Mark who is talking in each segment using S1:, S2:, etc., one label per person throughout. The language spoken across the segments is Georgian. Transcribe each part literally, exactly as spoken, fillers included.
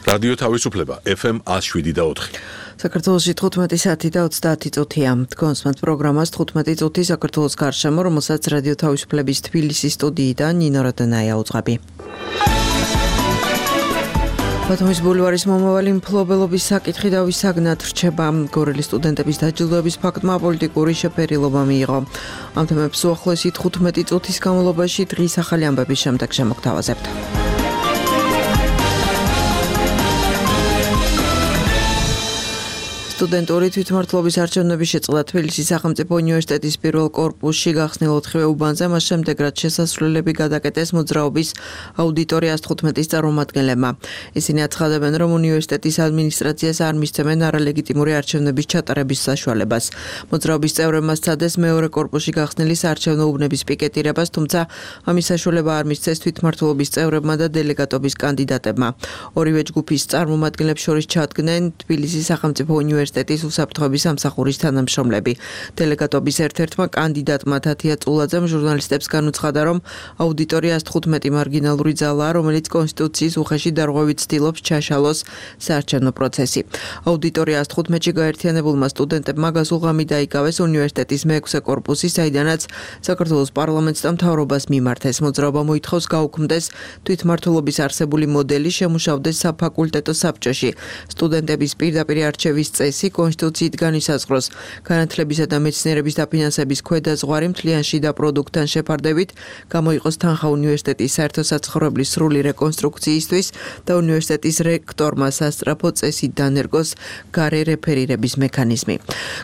S1: რადიო თავისუფლება ეფ ემ one oh seven და four.
S2: საქართველოში თხუთმეტი საათი და ოცდაათი წუთია. Თქვენს პროგრამას თხუთმეტი წუთი საქართველოს გარშემო, რომელსაც რადიო თავისუფლების თბილისის სტუდიიდან ნინო რადანაია უძღვები. ბათუმის ბულვარის მომავალი მფლობელობის საკითხი დავისაგნად რჩება. გორელი სტუდენტების დაჯილდოების ფაქტმა პოლიტიკური შეფერილობა მიიღო. ამ თემებს უახლოესი თხუთმეტი წუთის განმავლობაში დღის ახალი ამბების შემდეგ შემოგთავაზებთ. სტუდენტური თვითმმართველობის არჩევნების შეწყდა თბილისის სახელმწიფო უნივერსიტეტის პირველ კორპუსში გახსნილ ოთხივე უბანზე, მას შემდეგ რაც შესასვლელები გადაკეტეს მოძრაობის აუდიტორიას თხუთმეტის წარმომადგენლებმა. ისინი აცხადებენ, რომ უნივერსიტეტის ადმინისტრაციას არ მისცემენ არალეგიტიმური არჩევნების ჩატარების საშუალებას. მოძრაობის წევრებმა სცადეს მეორე კორპუსში გახსნილი საარჩევნო უბნების პიკეტირებას, თუმცა ამის საშუალება არ მისცეს თვითმმართველობის წევრებმა და დელეგატობის კანდიდატებმა. ორივე ჯგუფის წარმომადგენლებს შორის ჩადგნენ თბილისის სახელმწიფო უნივერსიტეტის უნივერსიტეტის უსაფრთხოების სამსახურის თანამშრომლები. დელეგატობის ერთ-ერთმა კანდიდატმა თათია წულაძემ ჟურნალისტებს განუცხადა, რომ აუდიტორიას თხუთმეტი მარგინალური ძალაა, რომელიც კონსტიტუციის უხეში დარღვევით ცდილობს ჩაშალოს საარჩევნო პროცესი. აუდიტორიას თხუთმეტში გაერთიანებულმა სტუდენტებმა გასულღამი დაიკავეს უნივერსიტეტის მეექვსე კორპუსი, საიდანაც საქართველოს პარლამენტს და მთავრობას მიმართეს. მოძრაობა მოითხოვს გაუქმდეს თვითმმართველობის არსებული მოდელი, შემუშავდეს საფაკულტეტო საბჭოში. სტუდენტების პირდაპირ არჩევის წესი კონსტიტუციით განისაზღვროს. განათლებისა და მეცნიერების დაფინანსების ქვედაზღვარი მთლიან შიდა პროდუქტთან შეფარდებით გამოიყოს თანხა უნივერსიტეტის საერთოსაცხოვრებლის სრული რეკონსტრუქციისთვის და უნივერსიტეტის რექტორმა სასწრაფო წესით დანერგოს გარე რეფერირების მექანიზმი.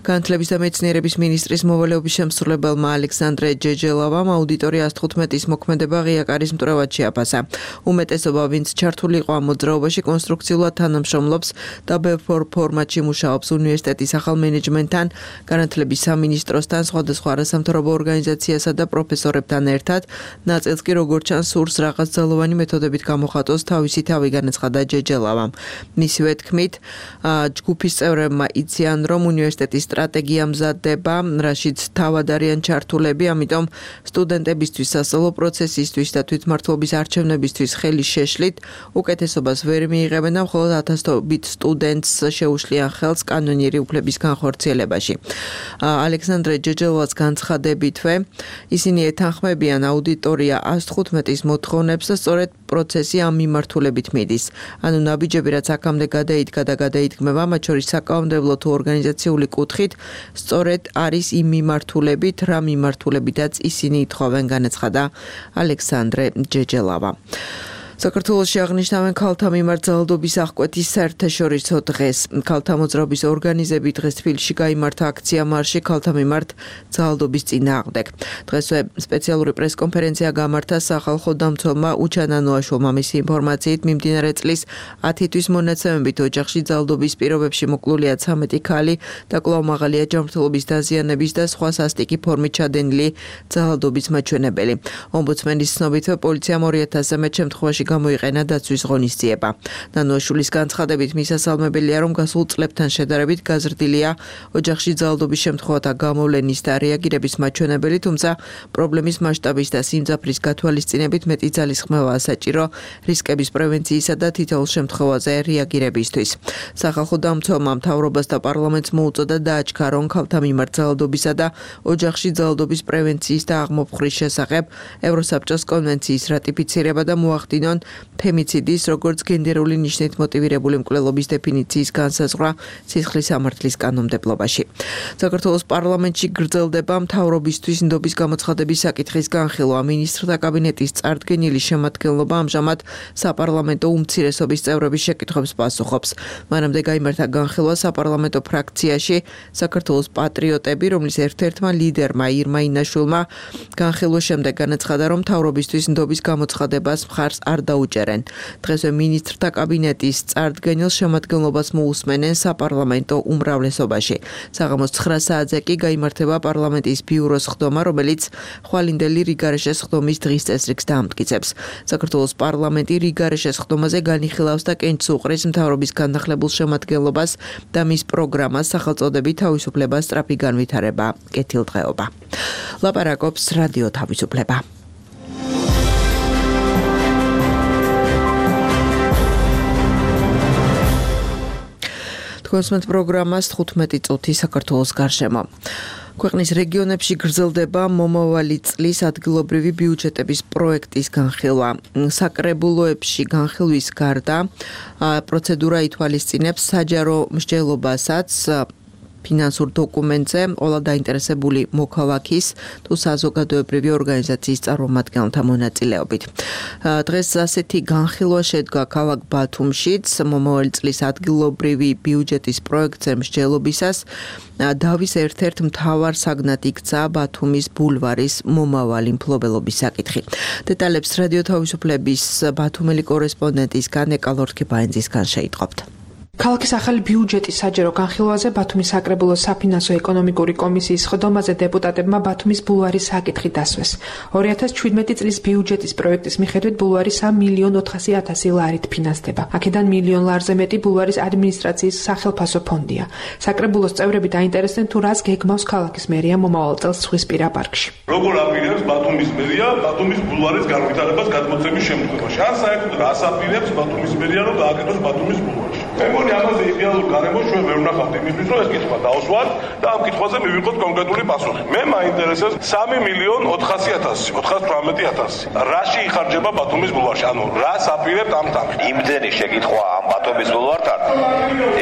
S2: განათლების და მეცნიერების მინისტრის მოვალეობის შემსრულებელმა ალექსანდრე ჯეჯელავამ აუდიტორიას თხუთმეტის მოქმედება ღია კარის მტრევად შეაფასა. უმეტესობა, ვინც ჩართული იყო ამ მოძრაობაში, კონსტრუქციულად თანამშრომლობს და ბევრ ფორმატში მუშაობს უნივერსიტეტის ახალ მენეჯმენტთან, განათლების სამინისტროსთან, სხვადასხვა არასამთავრობო ორგანიზაციასა და პროფესორებთან ერთად. ნაწილს კი როგორც ჩანს სურს რაღაც ძალოვანი მეთოდებით გამოხატოს თავისი თავი, განაცხადა ჯეჯელავამ. მისივე თქმით, ჯგუფის წევრებმა იციან, რომ უნივერსიტეტის სტრატეგია მზადდება, რაშიც თავად არიან ჩართულები, ამიტომ სტუდენტებისთვის, სასწავლო პროცესისთვის და თვითმმართველობის არჩევნებისთვის ხელი შეშლით უკეთესობას ვერ მიიღებენ და მხოლოდ ათასობით სტუდენტს შეუშლიან ხელს კანონიერი უფლების განხორციელებაში. ალექსანდრე ჯეჯელოვაც განცხადებითვე, ისინი ეთანხმებიან აუდიტორია one oh seven-ის მოთხოვნებს და სწორედ პროცესი ამ მიმართულებით მიდის. ანუ ნაბიჯები, რაც აქამდე გადაიდგა და გადაიდგმება, მათ შორის საკანონმდებლო თუ ორგანიზაციული კუთხით, სწორედ არის იმ მიმართულებით, რა მიმართულებითაც ისინი ითხოვენ, განაცხადა ალექსანდრე ჯეჯელავა. საქართველოში აღნიშნავენ ქალთა მიმართ ძალადობის აღკვეთის საერთაშორისო დღეს. ქალთა მოძრაობის ორგანიზები დღეს თბილისში გაიმართა აქცია მარში ქალთა მიმართ ძალადობის წინააღმდეგ. დღესვე სპეციალური პრესკონფერენცია გამართა სახალხო დამცველმა უჩან ანოაშვილმა. მისი ინფორმაციით, მიმდინარე წლის ათი თვის მონაცემებით ოჯახში ძალადობის პირობებში მოკლულია ცამეტი ქალი და კვლავ მაღალია ჯანმრთელობის დაზიანების და სხვა სასტიკი ფორმით ჩადენილი ძალადობის მაჩვენებელი. ომბუდსმენის ცნობით, პოლიციამ ორი ათასზე მეტ შემთხვევაში გამოიყენა დაცვის ღონისძიება. ნანოაშვილის განცხადებით, მისასალმებელია, რომ გასულ წლებთან შედარებით გაზრდილია ოჯახში ძალადობის შემთხვევათა გამოვლენის და რეაგირების მაჩვენებელი, თუმცა პრობლემის მასშტაბის და სიმძაფრის გათვალისწინებით მეტი ძალისხმევაა საჭირო რისკების პრევენციისა და თითოეულ შემთხვევაზე რეაგირებისთვის. სახალხო დამცველმა მთავრობას და პარლამენტს მოუწოდა დააჩქა, რომ ქალთა მიმართ ძალადობისა და ოჯახში ძალადობის პრევენციის და აღმოფხვრის შესახებ ევროსაბჭოს კონვენციის რატიფიცირება და მოახდინონ ფემიციდის, როგორც გენდერული ნიშნით მოტივირებული მკვლელობის დეფინიციის განსაზღვრა სისხლის სამართლის კანონმდებლობაში. საქართველოს პარლამენტში გრძელდება მთავრობისთვის ნდობის გამოცხადების საკითხის განხილვა. მინისტრთა კაბინეტის წარდგენილი შემადგენლობა ამჟამად საპარლამენტო უმცირესობის წევრების შეკითხვებს პასუხობს. მანამდე გაიმართა განხილვა საპარლამენტო ფრაქციაში საქართველოს პატრიოტები, რომლის ერთ-ერთმა ლიდერმა ირმა ინაშვილმა განხილვის შემდეგ განაცხადა, რომ მთავრობისთვის ნდობის გამოცხადებას მხარს არ დაუჭერენ. დღესვე მინისტრთა კაბინეტის წარდგენილ შემადგენლობას მოусმენენ საპარლამენტო უმრავლესობაში. საღამოს ცხრა საათზე კი გაიმართება პარლამენტის ბიუროს ხდომა, რომელიც ხვალინდელი რიგარეშეს ხდომის დღის წესრიგს დაამტკიცებს. საქართველოს პარლამენტი რიგარეშეს ხდომაზე განიხილავს და კენჭს უყრის მთავრობის განახლებულ შემადგენლობას და მის პროგრამას სახელწოდებით თავისუფლება, სწრაფი განვითარება, კეთილდღეობა. ლაპარაკობს რადიო თავისუფლება. თქვენსმენთ პროგრამას თხუთმეტი წუთი საქართველოს გარშემო. ქვეყნის რეგიონებში გრძელდება მომავალი წლის ადგილობრივი ბიუჯეტების პროექტის განხილვა. საკრებულოებში განხილვის გარდა პროცედურა ითვალისწინებს საჯარო მსჯელობასაც ფინანსურ დოკუმენტზე ყველა დაინტერესებული მოქალაქის თუ საზოგადოებრივი ორგანიზაციის წარმომადგენელთა მონაწილეობით. დღეს ასეთი განხილვა შედგა ქალაქ ბათუმშიც მომავალი წლის ადგილობრივი ბიუჯეტის პროექტზე მსჯელობისას დავის ერთ-ერთ მთავარ საგნად იქცა ბათუმის ბულვარის მომავალი მფლობელობის საკითხი. დეტალებს რადიო თავისუფლების ბათუმელი კორესპონდენტისგან ეკალორქებაინძისგან შეიტყობთ.
S3: ქალაქის ახალი ბიუჯეტის საჯარო განხილვაზე ბათუმის საკრებულოს საფინანსო ეკონომიკური კომისიის ხდომაზე დეპუტატებმა ბათუმის ბულვარის საკითხი დასვეს. ორი ათას ჩვიდმეტი წლის ბიუჯეტის პროექტის მიხედვით ბულვარი სამი მილიონ ოთხასი ათასი ლარით ფინანსდება. აქედან მილიონ ლარზე მეტი ბულვარის ადმინისტრაციის სახელფასო ფონდია. საკრებულოს წევრები დაინტერესდნენ თუ რას გეგმავს ქალაქის მერია მომავალ წელს ზღვისპირა პარკში.
S4: როგორ აპირებს ბათუმის მერია ბათუმის ბულვარის განვითარებას გადმოცემის შემთხვევაში? ან საერთოდ რას აპირებს ბათუმის მერია რომ გააკეთოს ბათუმის ბულვარში? ამაზე იდეალურ გარემოს ჩვენ ვერ ვნახავთ იმისთვის, რომ ეს კითხვა დაუსვათ და ამ კითხვაზე მივიღოთ კონკრეტული პასუხი. მე მაინტერესებს სამი მილიონ ოთხასი ათასი, ოთხას თვრამეტი ათასი. რაში იხარჯება ბათუმის ბულვარში? ანუ რას აპირებთ ამ თან?
S5: იმდენი შეკითხვა ამ ბათუმის ბულვართან.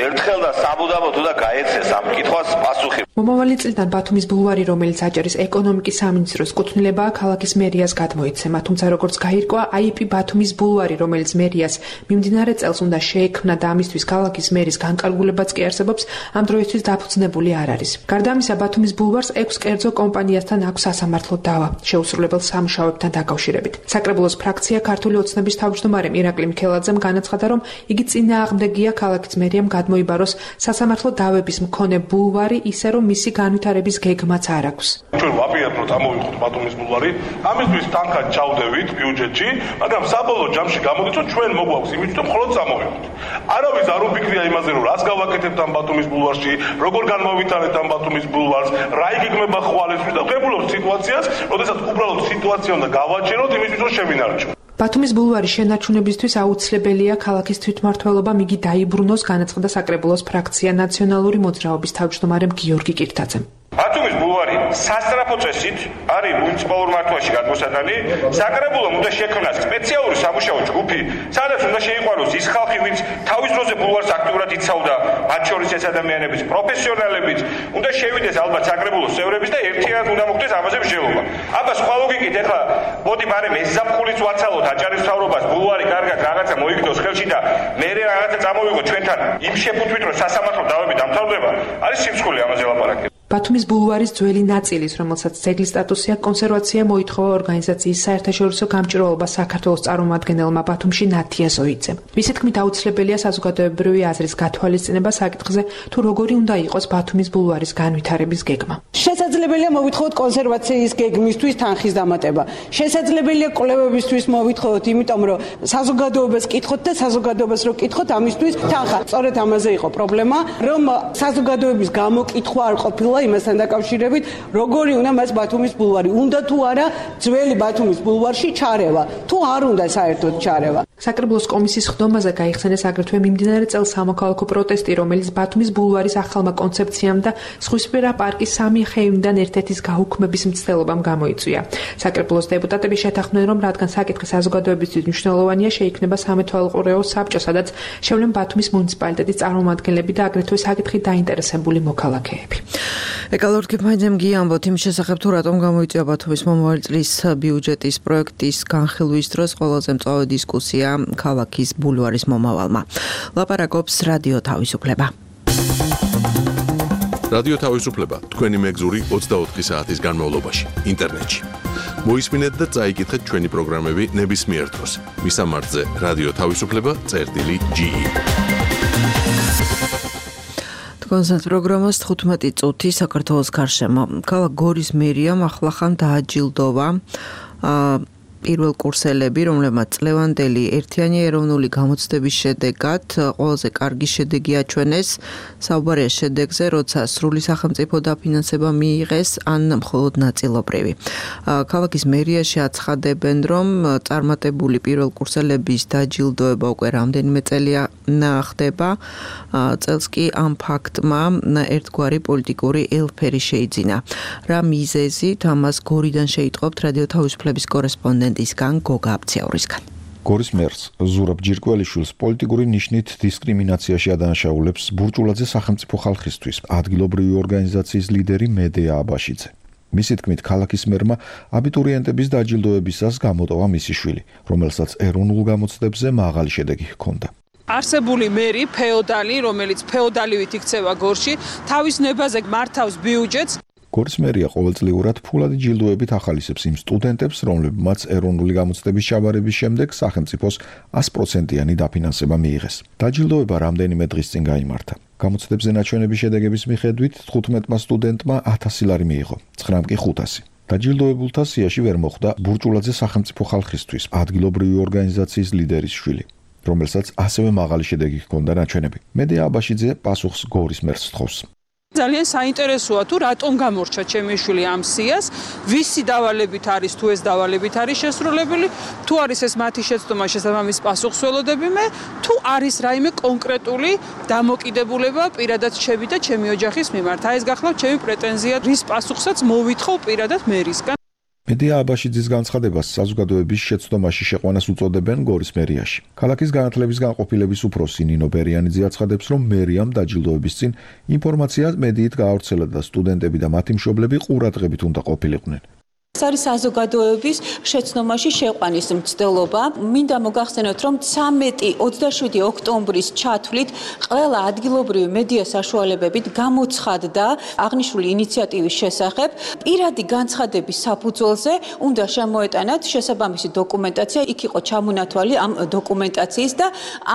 S5: ერთხელ და საბუდამოდ უნდა გაეცეს ამ კითხვას პასუხი.
S3: მომავალი წლიდან ბათუმის ბულვარი, რომელიც აჭარის ეკონომიკის სამინისტროს კუთვნილებაა, ქალაქის მერიას გადმოიცემა, თუმცა როგორც გაირკვა, აი პი ბათუმის ბულვარი, რომელიც მერიას მიმდინარე წელს უნდა შეექმნა და ამისთვის ქალაქის მერის განკარგულებაც კი არსებობს, ამ დროისთვის დაფუძნებული არ არის. გარდა ამისა, ბათუმის ბულვარს ექვს კერძო კომპანიასთან აქვს სასამართლო დავა, შეუსრულებელ სამუშაოებთან დაკავშირებით. საკრებულოს ფრაქცია ქართული ოცნების თავმჯდომარემ ირაკლი მიქელაძემ განაცხადა, რომ იგი წინააღმდეგია ქალაქის მერიამ გადმოიბაროს სასამართლო დავების მქონე ბულვარი, ისე რომ მისი განვითარების გეგმაც არ აქვს.
S4: ჩვენ ვაპირებთ, რომ წამოვიღოთ ბათუმის ბულვარი, ამისთვის თანხად ჩავდევით ბიუჯეტში, მაგრამ საბოლოო ჯამში გამოდის, რომ ჩვენ მოგვაქვს იმით, რომ მხოლოდ წამოვიღოთ. არავის არ უფიქრია იმაზე, რომ რას გავაკეთებთ ამ ბათუმის ბულვარში, როგორ განმოვითარებთ ამ ბათუმის ბულვარს, რა იგეგმება ხვალისთვის და ვღებულობთ სიტუაციას, როდესაც უბრალოდ სიტუაცია უნდა გავაჩეროთ იმისთვის, რომ შევინარჩუნოთ.
S3: ბათუმის ბულვარის შენარჩუნებისთვის აუცილებელია ქალაქის თვითმმართველობამ იგი დაიბრუნოს, განაცხადა საკრებულოს ფრაქცია ნაციონალური მოძრაობის თავმჯდომარემ გიორგი კირთაძემ.
S5: ბათუმის ბულვარი სასწრაფო წესით არის მუნიციპალურ მართვაში გადმოსატანი. საკრებულომ უნდა შექმნას სპეციალური სამუშაო ჯგუფი, სადაც უნდა შეიყვანოს ის ხალხი, ვინც თავის დროზე ბულვარს აქტიურად იცავდა, მათ შორის ეს ადამიანების პროფესიონალებიც, უნდა შევიდეს ალბათ საკრებულოს წევრების და ერთიანად უნდა მოხდეს ამაზე მსჯელობა. აბა სხვა ლოგიკით ეხლა მოდი ბარემ ეს ზაფხულიც ვაცალოთ აჭარის მთავრობას, ბულვარი კარგად რაღაცა მოიგდოს ხელში და მე რაღაცა წამოვიღო ჩვენთან იმ შეფუთვით, რომ სასამართლო დავები დამთავრდება, არის სიმსხვილი ამაზე ლაპარაკი.
S3: ბათუმის ბულვარის ძველი ნაწილის, რომელსაც ძეგლის სტატუსი აქვს, კონსერვაცია მოითხოვა ორგანიზაციის საერთაშორისო გამჭირვალობა საქართველოს წარმომადგენელმა ბათუმში ნათია ზოიძემ. მისი თქმით, აუცილებელია საზოგადოებრივი აზრის გათვალისწინება საკითხზე, თუ როგორი უნდა იყოს ბათუმის ბულვარის განვითარების გეგმა.
S6: შესაძლებელია მოვითხოვოთ კონსერვაციის გეგმისთვის თანხის დამატება. შესაძლებელია კვლევებისთვის მოვითხოვოთ, იმიტომ რომ საზოგადოებას კითხოთ და საზოგადოებას რო კითხოთ, ამისთვის თანხა. სწორედ ამაზე იყო პრობლემა, რომ საზოგადოების გამოკითხვა არ ყოფილა იმასთან დაკავშირებით, როგორი უნდა მას ბათუმის ბულვარი, უნდა თუ არა ძველი ბათუმის ბულვარში ჩარევა, თუ არ უნდა საერთოდ ჩარევა.
S3: საკრებულოს კომისიის ხდომაზე გაიხსენეს აგრეთვე მიმდინარე წელს სამოქალაქო პროტესტი, რომელიც ბათუმის ბულვარის ახალმა კონცეფციამ და ზღვისპირა პარკის სამი ხეივიდან ერთ-ერთის გაუქმების მცდელობამ გამოიწვია. საკრებულოს დეპუტატები შეთანხმდნენ, რომ რადგან საკითხი საზოგადოებისთვის მნიშვნელოვანია, შეიქმნება სამეთვალყურეო საბჭო, სადაც შევლენ ბათუმის მუნიციპალიტეტის წარმომადგენლები და აგრეთვე საკითხით დაინტერესებული მოქალაქეები.
S2: ეკალორქებაინძემ გიამბოთ იმ შესახებ, თუ რატომ გამოიწვია ბათუმის მომავალი წლის ბიუჯეტის პროექტის განხილვის დროს ყველაზე მწვავე დისკუსია ქალაქის ბულვარის მომავალმა. ლაპარაკობს რადიო თავისუფლება.
S1: რადიო თავისუფლება თქვენი მეგზური ოცდაოთხი საათის განმავლობაში ინტერნეტში. მოისმინეთ და წაიკითხეთ ჩვენი პროგრამები ნებისმიერ დროს. მისამართზე რადიო თავისუფლება წერტილი ჯი ი.
S2: კონსერტ პროგრამას თხუთმეტი წუთი საქართველოს გარშემო. ქალაქ გორის მერიამ ახლახან დააჯილდოვა პირველ კურსელები, რომლებმაც წლევანდელი ერთიანი ეროვნული გამოცდების შედეგად ყველაზე კარგი შედეგი აჩვენეს, საუბარია შედეგზე, როცა სრული სახელმწიფო დაფინანსება მიიღეს, ან მხოლოდ ნაწილობრივი. Ქალაქის მერიაში აცხადებენ, რომ წარმატებული პირველ კურსელების დაჯილდოება უკვე რამდენიმე წელია ხდება. წელს კი ამ ფაქტმა ერთგვარი პოლიტიკური ელფერი შეიძინა. რა მიზეზით ამას გორიდან შეიტყობთ რადიო თავისუფლების კორესპონდენტისგან გოგა აბციაურისგან.
S7: გორის მერს ზურაბ ჯირკველიშვილს პოლიტიკური ნიშნით დისკრიმინაციაში ადანაშაულებს ბურჭულაძე სახელმწიფო ხალხისთვის ადგილობრივი ორგანიზაციის ლიდერი მედეა აბაშიძე. მისი თქმით, ქალაქის მერმა აბიტურიენტების დაჯილდოებისას გამოტოვა მისი შვილი, რომელსაც ეროვნულ გამოცდებზე მაღალი შედეგი ჰქონდა.
S6: არსებული მერი ფეოდალი, რომელიც ფეოდალივით იქცევა გორში, თავის ნებაზე მართავს ბიუჯეტს. გორის მერია ყოველწლიურად ფულადი ჯილდოებით ახალისებს იმ სტუდენტებს, რომლებმაც ეროვნული გამოცდების ჩაბარების შემდეგ სახელმწიფოს ას პროცენტიანი დაფინანსება მიიღეს. დაჯილდოება რამდენიმე დღის წინ გაიმართა. გამოცდებზე ნაჩვენების შედეგების მიხედვით თხუთმეტმა სტუდენტმა ათასი ლარი მიიღო, ცხრამ კი ხუთასი. დაჯილდოებულთა სიაში ვერ მოხვდა ბურჭულაძე სახელმწიფო ხალხისთვის ადგილობრივი ორგანიზაციის ლიდერის შვილი, რომელსაც ასევე მაღალი შედეგი ჰქონდა ნაჩვენები. მედეა აბაშიძე პასუხს გორის მერს თხოვს. ძალიან საინტერესოა თუ რატომ გამორჩა ჩემი შვილი ამ სიას, ვისი დავალებით არის თუ ეს დავალებით არის შესრულებული, თუ არის ეს მათი შეცდომა შესაბამის პასუხს ველოდები მე, თუ არის რაიმე კონკრეტული დამოკიდებულება პირადად ჩემი და ჩემი ოჯახის მიმართ. აი ეს გახლავთ ჩემი პრეტენზია, რის პასუხსაც მოვითხოვ პირადად მერისგან. მედეა აბაშიძის განცხადებას საზოგადოების შეცდომაში შეყვანას უწოდებენ გორის მერიაში. ქალაქის განათლების განყოფილების უფროსი ნინო ბერიანიძე აცხადებს, რომ მერიამ დაჯილდოების წინ ინფორმაცია მედიით გაავრცელა და სტუდენტები და მათი მშობლები ყურადღებით უნდა ყოფილიყვნენ.
S8: ეს არის საზოგადოების შეცდომაში შეყვანის მცდელობა. მინდა მოგახსენოთ, რომ ცამეტი ოცდაშვიდი ოქტომბრის ჩათვლით ყველა ადგილობრივი მედია საშუალებებით გამოცხადდა აღნიშნული ინიციატივის შესახებ. პირადი განცხადების საფუძველზე უნდა შემოეტანათ შესაბამისი დოკუმენტაცია, იქ იყო ჩამონათვალი ამ დოკუმენტაციის და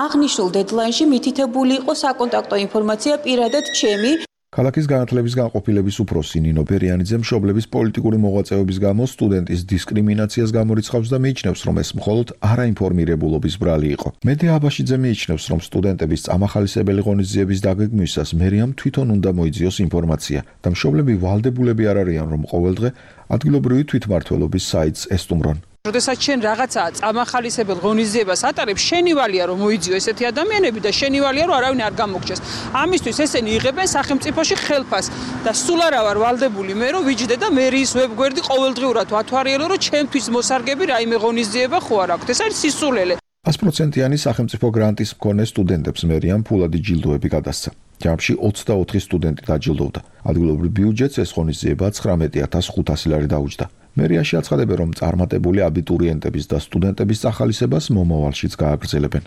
S8: აღნიშნულ დედლაინში მითითებული იყო საკონტაქტო ინფორმაცია პირადად ჩემი. ქალაქის განათლების განყოფილების უფროსი ნინო ბერიანიძე მშობლების პოლიტიკური მოღვაწეობის გამო სტუდენტის დისკრიმინაციას გამორიცხავს და მიიჩნევს, რომ ეს მხოლოდ არაინფორმირებულობის ბრალი იყო. მედეა აბაშიძე მიიჩნევს, რომ სტუდენტების წამახალისებელი ღონისძიების დაგეგმვისას მერიამ თვითონ უნდა მოიძიოს ინფორმაცია და მშობლები ვალდებულები არ არიან, რომ ყოველდღე ადგილობრივი თვითმმართველობის საიტს ესტუმრონ. როდესაც შენ რაღაცაა წამახალისებელ ღონისძიებას ატარებ, შენივალია რომ მოიძიო ესეთი ადამიანები და შენივალია რომ არავინ არ გამოგჩეს. ამისთვის ესენი იღებენ სახელმწიფოში ხელფას და სულ არა ვარ ვალდებული მე რომ ვიჯდე და მერიის ვებგვერდი ყოველდღიურად ვათვალიერო რომ ჩემთვის მოსარგები რაიმე ღონისძიება ხო არ აქვს. ეს არის სისულელე. ას პროცენტიანი სახელმწიფო გრანტის მქონე სტუდენტებს მერიამ ფულადი ჯილდოები გადასცა. ჯამში ოცდაოთხი სტუდენტი დაჯილდოვდა. ადგილობრივ ბიუჯეტს ეს ღონისძიება ცხრამეტი ათას ხუთასი ლარი დაუჯდა. მერიაში აცხადებენ, რომ წარმატებული აბიტურიენტების და სტუდენტების წახალისებას მომავალშიც გააგრძელებენ.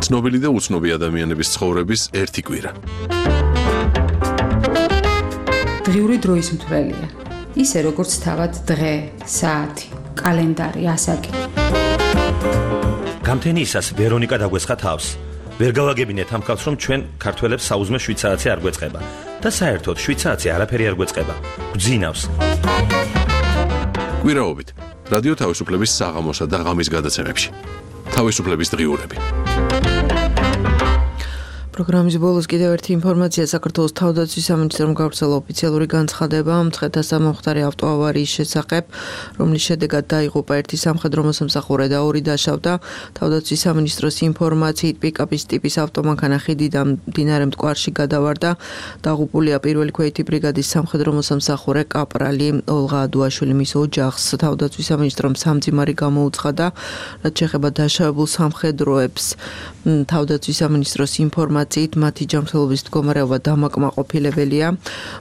S1: ცნობილი და უცნობი ადამიანების ცხოვრების ერთი კვირა.
S9: დღიური დროის მთვრელია. ისე როგორც თავად დღე, საათი, კალენდარი, ასაკი.
S10: გამთენიისას ვერონიკა დაგვესხა თავს. ვერ გავაგებინეთ ამ ხალხს, რომ ჩვენ ქართველებს საუზმე შვიდ საათი არ გვეწყება და საერთოდ შვიდ საათი არაფერი არ გვეწყება. გვძინავს.
S1: კვირაობით რადიო თავისუფლების საღამოსა და ღამის გადაცემებში. თავისუფლების დღიურები.
S2: პროგრამის ბოლოს კიდევ ერთი ინფორმაცია. საქართველოს თავდაცვის სამინისტრომ გავრცელა ოფიციალური განცხადება მცხეთა სამომხდარი ავტოავარიის შესახებ, რომლის შედეგად დაიღუპა ერთი სამხედრო მოსამსახურე და ორი დაშავდა. თავდაცვის სამინისტროს ინფორმაციით პიკაპის ტიპის ავტომანქანა ხიდიდან მდინარე მტკვარში გადავარდა. დაღუპულია პირველი ქვეითი ბრიგადის სამხედრო მოსამსახურე კაპრალი ოლღა ადუაშვილი. მის ოჯახს თავდაცვის სამინისტრომ სამძიმარი გამოუცხადა, რაც შეეხება დაშავებულ სამხედროებს. თავდაცვის სამინისტროს ინფორმაციით მათი ჯანმრთელობის მდგომარეობა დამაკმაყოფილებელია.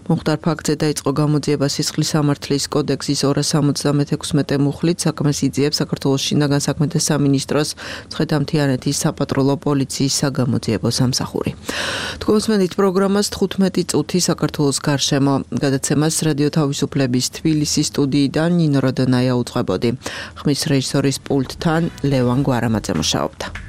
S2: მომხდარ ფაქტზე დაიწყო გამოძიება სისხლის სამართლის კოდექსის ორასი ორმოცდამექვსმეტე მუხლით. საქმეს იძიებს საქართველოს შინაგან საქმეთა სამინისტროს მცხეთა-მთიანეთის საპატრულო პოლიციის საგამოძიებო სამსახური. თქვენს პროგრამას თხუთმეტი წუთი საქართველოს გარშემო გადაცემას რადიო თავისუფლების თბილისის სტუდიიდან ნინო როდონაია უძღვებოდი. ხმის რეჟისორის პულტთან ლევან გვარამაძე მუშაობდა.